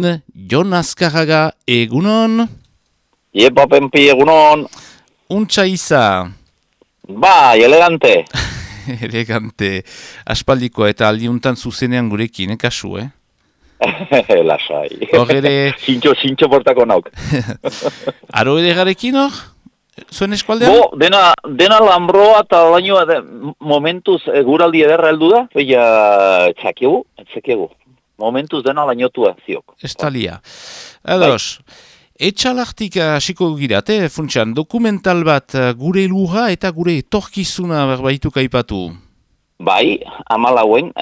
Jon Azkarraga, egunon? Iepa Penpi, egunon. Untxa iza. Bai, elegante. Elegante. Aspaldikoa eta aldiuntan zuzenean gurekin, kasu, Lasai. Hor ere... Sintxo portako nauk. Aro ere garekin hor? Zuen eskualdean? Bo, dena lambroa eta baino momentuz guraldi ederra heldu da, baina txakiegu. Momentuz dena lainotua ziok. Estalia. Ados, etxalartik hasiko girate, funtsan, dokumental bat gure lurra eta gure etorkizuna berbaitu kaipatu. Bai, amalauen,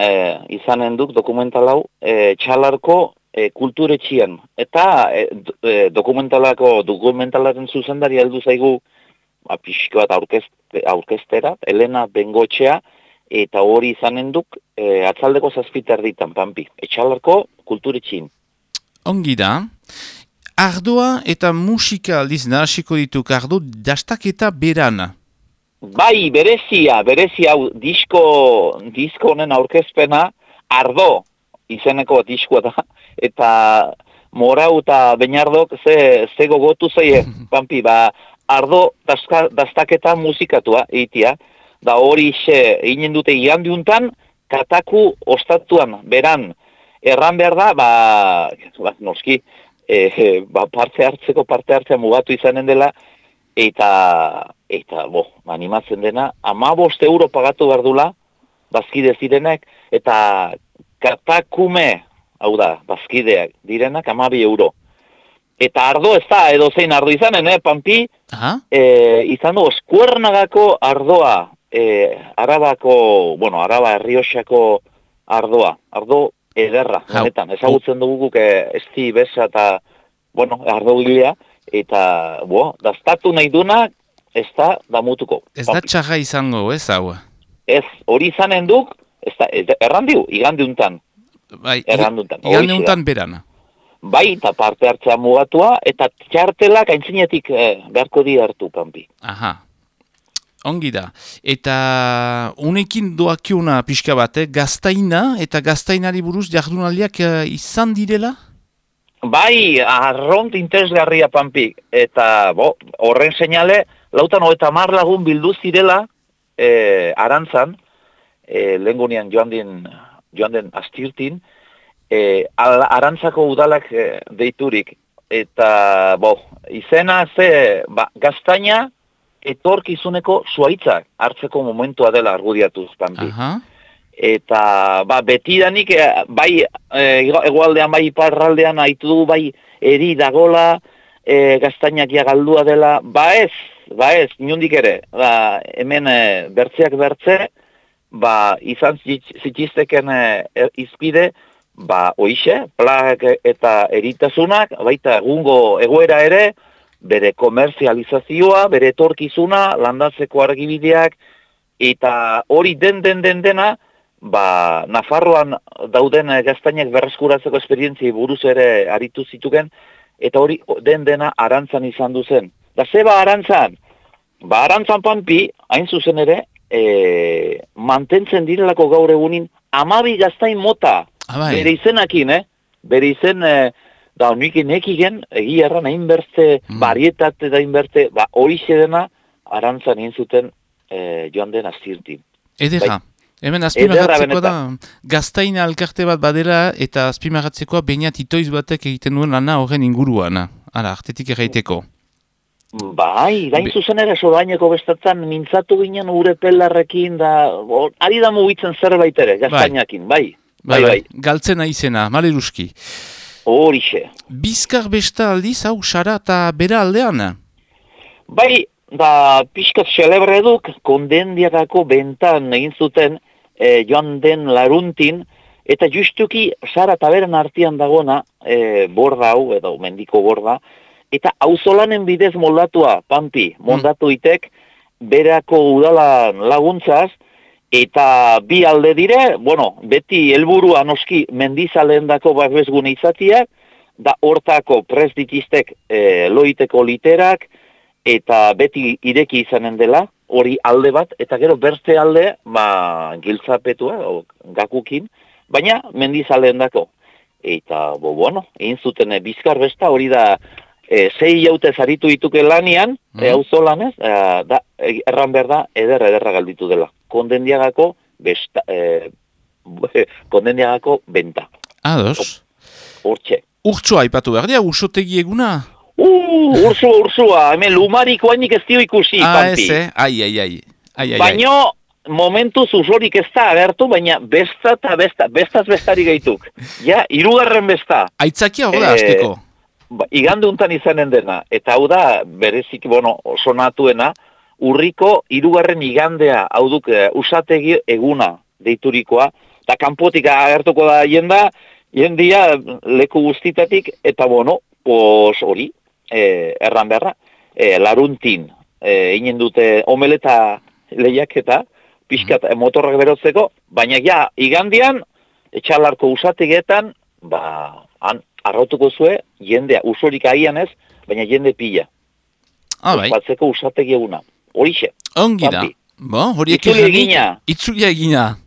izanen duk dokumental hau, txalarko kulturetxian. Eta dokumentalaren zuzendari heldu zaigu, pixko bat aurkeztera, Elena Bengotxea, eta hori izanen duk, atzaldeko 7 erditan, Pampi. Etxalarko kulturetxin. Ongi da. Ardoa eta musika aldiz nahasiko dituk, ardo dastaketa beran. Bai, berezia hau disko honen aurkezpena, ardo izeneko diskoa da, eta Morau eta Beñardok ze gogotu zaie, Pampi, ardo dastaketa musikatua egitea, da hori egin dute igandiuntan, kataku ostatuan, beran, erran behar da, noski, parte hartzea mugatu izanen dela, eta animatzen dena, 15 euro pagatu behar dula, bazkide zirenek, eta katakume, hau da, bazkideak direnak, 12 euro. Eta ardo ez da, edo zein ardo izanen, Pampi, izan du, Eskuernagako ardoa, Araba Errioxako ardoa, ardo ederra, honetan, ezagutzen dugu guk esti besa eta, ardo gilea, eta, dastatu nahi duna, ez da damutuko. Ez da txarra izango, ez hau? Ez, hori izanen duk, errandiu, igandiuntan. Bai, igandiuntan berana. Bai, eta parte hartzea mugatua, eta txartelak aintzinetik beharko di hartu, Pampi. Aha. Ongi da. Eta unekin doakiuna pixka bat, gaztaina eta gaztainari buruz jardunaldiak izan direla? Bai, arront interesgarria, Pampi. Eta, horren seinale, 50 lagun bildu zirela Arantzan, lehengunian joan den astirtin, Arantzako udalak deiturik. Eta, izena gaztaina, etorkizuneko zuaitzak hartzeko momentua dela argudiatuz, Pampi. Eta, betidanik, bai, egualdean, bai, iparraldean, haitu dugu, bai, eri dagola, gaztainak galdua dela, ez, inundik ere, hemen bertzeak bertze, izan zitizteken izpide, oixe, plagak eta eritasunak, baita egungo egoera ere, bere komerzializazioa, bere etorkizuna, landatzeko argibideak, eta hori dena, Nafarroan dauden gaztainak berreskuratzeko esperientziai buruz ere aritu zituken, eta hori dena Arantzan izan duzen. Da zeba Arantzan? Arantzan, Pampi, hain zuzen ere, mantentzen direlako gaur egunin 12 gaztain mota, bere izenakin, bere izen, da honik nekigen, egia erran, hain bertze, barietate da hain bertze, hori dena Arantzan egin zuten joan den astirtin. Edera. Hemen azpimarratzekoa da, gaztaina alkarte bat badela eta azpimarratzekoa Beñat itoiz batek egiten duen lana horren inguruan. Hala, artetik erraiteko. Bai, gain zuzen ere sodaineko bestatzen mintzatu ginen ure pelarrekin da, ari da mugitzen zerbait ere, gaztainakin, bai. Galtzena izena, maleruski. Horixe. Bizkar besta aldiz, hau, Sara eta bera aldean? Bai, pixkat celebre duk, kondendiakako bentan egin zuten joan den laruntin, eta justuki Sara eta beren artean dagona, borda hau, edo mendiko borda, eta auzolanen bidez moldatua, Pampi, moldatu itek, berako udalan laguntzaz, eta bi alde dire, beti helburua noski mendizaleen dako babesgune izatiak, da hortako prest ditiztek loiteko literak, eta beti ireki izanen dela, hori alde bat, eta gero beste alde, giltzapetua, gakukin, baina mendizaleen dako. eta, bueno, egin zuten bizkar besta, hori da, 6 jaute zaritu dituke lanian, auzolanez, da, erran behar da, ederra galditu dela. Kondendiagako besta, kondendiagako benta. Ados. Hortxe. Urtsua aipatu behar dira, ursotegi eguna? Ursua, hemen lumariko hainik ez dio ikusi, Pampi. Ai. Baina, momentuz usorik ez da agertu, baina bestaz bestari gaituk. Ja, 3. besta. Aitzakia hor da, azteko. Igande untan izanen dena, eta hau da, berezik, sonatuena, urriko 3. igandea, hau duk, usategi eguna deiturikoa, eta kanpotik agertuko da jendia leku guztitatik, eta hori, erran beharra, laruntin, inen dute omeleta lehiaketa, pixkat motorrak berotzeko, baina ja, igandian, etxalarko usategetan, han arrautuko zue, jendea, usorik agian ez, baina jende pila. Bai. Ospatzeko usategi eguna. Horixe. Ongi da. Itzulia egina.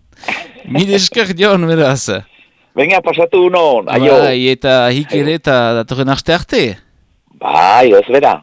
Mil esker dion, beraz. Venga, pasatu unon, aio. Bai, eta hik ere eta datorren arte. Bai, ez bera.